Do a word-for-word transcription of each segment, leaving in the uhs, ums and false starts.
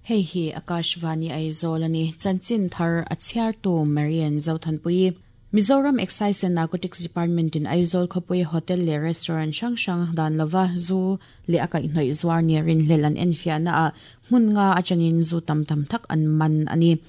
Hei hi Akashvani Aizawl ani chanchin thar a chhiartu Marian Zothanpui Mizoram Excise and Narcotics Department in Aizawl khawpui hotel leh restaurant hrang hrang dan lova zu leh a kaihhnawih zuar ni rin hlel an enfiahna ah hmun nga atangin zu tam tam tak an man ani.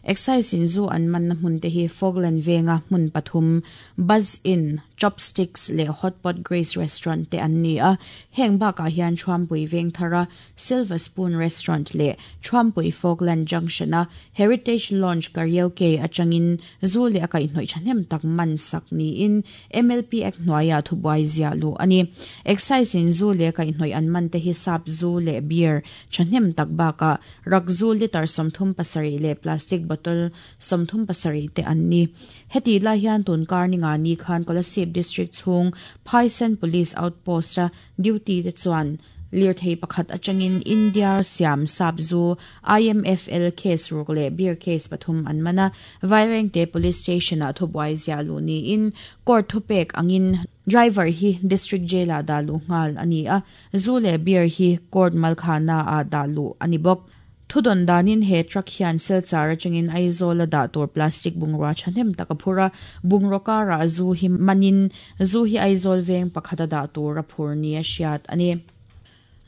Excise in zu an man na hmun te hi Fogland venga hmun pathum Buzz Inn, Chopsticks leh Hotpot Grace Restaurant te an ni a heng bakah hian Thuampui veng thara Silver Spoon Restaurant leh Thuampui Fogland Junction a Heritage Lounge Karaoke atangin zu leh a kaihhnawih thahnem tak man sak niin M L P Act hnuaiah thubuai ziah lu ani. Excise in zu leh kaihhnawih an man te hi sap zu leh beer thahnem tak bakah rak zu liter sawmthum pasarih leh plastic bottle sawmthum pasarih te an ni. Heti lai hian tun kar ni nga ni khan Kolasib District chhung Phaisen Police Outpost a duty te chuan lirthei pakhat atangin India Siam sap zu I M F L case ruk leh beer case pathum an mana Vairengte Police Station a thubuai ziah lu niin court thupek angin driver hi district jail ah dah lu nghal ani a zu leh beer hi court malkhana ah dah lu ani bawk. Thudon danin he truck hian silchar atangin Aizawl a dah tur plastic bungrua thahnem tak a phur a bungraw karah zu hi manin zu hi Aizawl veng pakhat a dah tur a phur ni a hriat ani.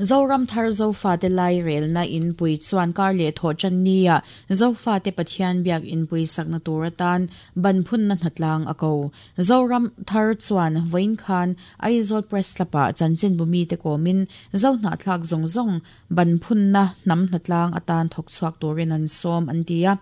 Zoram thar Zofa te lai rel na in pui chuan kar leh thaw chan nia Zofa te Pathian biak in pui sakna tur atan ban phun na hnatlang a ko. Zoram thar chuan voin khan Aizawl Press Club-ah chanchin bumi te komin zo hna thlak zawng zawng ban phun na hnam hnatlang atan thawk chhuak turin an sawm an ti a.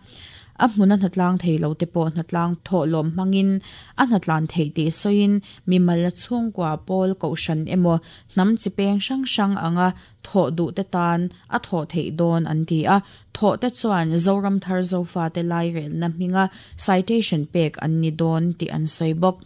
A hmuna hnatlang thei lo te pawh hnatlang thawh lawm hmangin a hnatlan thei tih sawiin mimal chhungkua pawl kohhran emaw hnam chi peng hrang hrang anga thawh duh te tan a thawh theih dawn an ti a. Thawh te chuan Zoram thar Zofa te lai rel na hminga citation pek an ni dawn tih an sawi bawk.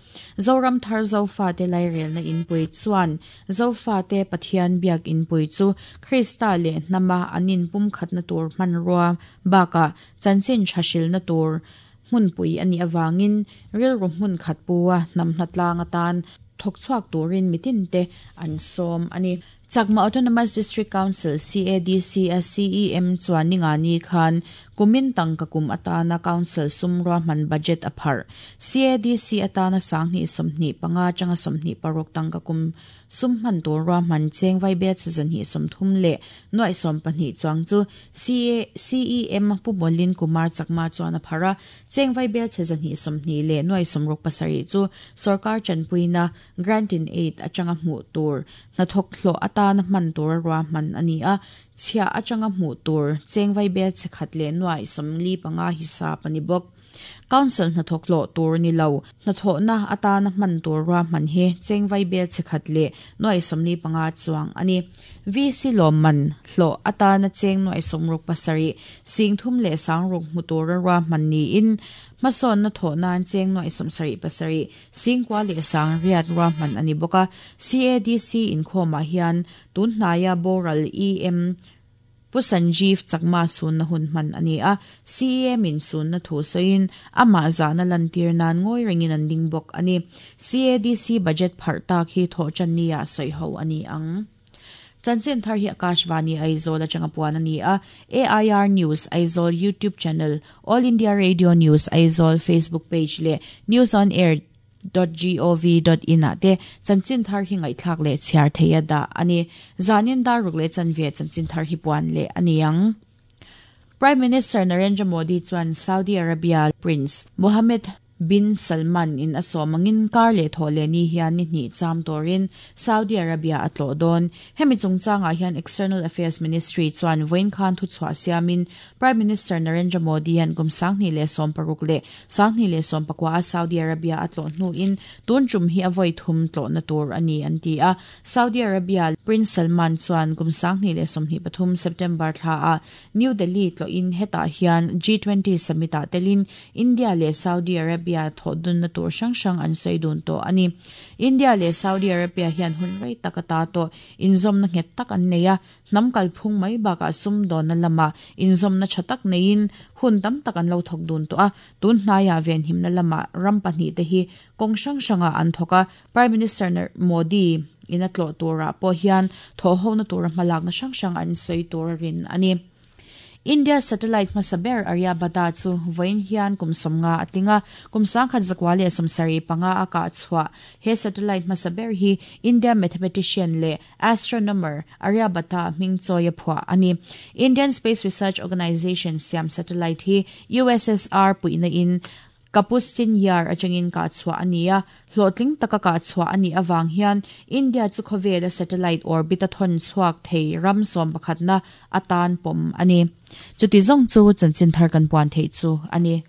Zoram thar Zofa te lai rel na inpui chuan Zofa te Pathian biak inpui chu Krista leh hnama an inpum khatna tur hmanrua bakah chanchin tha na tur hmunpui ani awangin rilru hmun khat puwa hnam hnatlang atan thawk chhuak turin mitin te an sawm ani. Chakma Autonomous District Council C A D C a C E M chuan ninga ni khan kumin tangka kum atana council sumrua hman budget a phar. C A D C atana sanghni sawmhnih panga changa sawmhnih paruk tangka kum sum hman tur rua hman cheng vai bel chazanhi sawmthum leh nuai sawm pahnih chuang chu C A C E M Pu Bolin Kumar Chakma chuan a phara cheng vai bel chazanhi sawmhnih leh nuai sawmruk pasarih chu sarkar chanpuina grant in aid atanga hmuh tur hnathawk hlawh atana hman tur rua hman ani a. Chhia atanga hmuh tur cheng vai bel chekhat leh nuai sawmli panga hisap ani bawk. Council hnathawk hlawh tur ni lo hnathawhna atana hman tur rua hman hi cheng vai bel chekhat leh nuai sawmli panga chuang ani. V C lawmman hlawh atana cheng nuai sawmruk pasarih sing thum leh sangruk hmu tur rua hman niin hmasawn na thawh nan cheng nuai sawmsarih pasarih singkua leh sang riat rua hman ani bawk a. C A D C inkhawmah hian tun hnaia boral E M Pu Sanjeev Chakma sun na hun hman ani a. C E M in sun na thu sawiin amah zahna lantir nan ngawi rengin an ding bawk ani. C A D C budget phar tak hi thawh chan nia sawi ho ani ang. Chanchin thar hi Akashvani Aizawl atanga puan ani a. A I R News Aizawl YouTube channel, All India Radio News Aizawl Facebook page leh News on Air dot gov dot in a te chanchin thar hi ngaihthlak leh chhiar theia da ani. Zanin dar ruk leh chanve chanchin thar hi puan leh ani ang. Prime Minister Narendra Modi chuan Saudi Arabia Prince Mohammed bin Salman in asawmangin kar leh thaw leh ni hian ni hnih cham turin Saudi Arabia a tlawh dawn. Hemi chungchangah hian External Affairs Ministry chuan vawiin khan thu chhuah siamin Prime Minister Narendra Modi hian kum sanghnih leh sawm paruk leh sanghnih leh sawm pakua a Saudi Arabia a tlawh hnuin tun tum hi a vawi thum tlawh na tur ani an ti a. Saudi Arabia Prince Salman chuan kum sanghnih leh sawmhnih pathum September thla a New Delhi tlawhin hetah hian G twenty summit ah telin India leh Saudi Arabia thaw dun na tur hrang hrang an sawi dun tawh ani. India leh Saudi Arabia hian hun rei tak ata tawh inzawm na nghet tak an nei a. Hnam kalphung mai bakah sum dawn na lama inzawm na tha tak neiin hun tam tak an lo thawk dun tawh a. Tun hnaiah ven himna lama ram pahnih te hi kawng hrang hrangah an thawk a. Prime Minister Modi in a tlawh turah pawh hian thaw ho na tur hmalak na hrang hrang an sawi tur a rin ani. India satellite hmasa ber Aryabhata chu vawiin hian kum sawmnga a tling a, kum sangkhat zakua leh sawmsarih panga a kah chhuah. He satellite hmasa ber hi India mathematician leh astronomer Aryabhata hming chawi a phuah a ni. Indian Space Research Organisation siam satellite hi USSR puihna in Kapustin Yar atangin kah chhuah a ni a, hlawhtling taka kah chhuah a nih avang hian India chu khawvela satellite orbit a thawn chhuak thei ram sawm pakhatna atan pawm a ni. Chuti zawng chu chanchin thar kan puan theih chu a ni.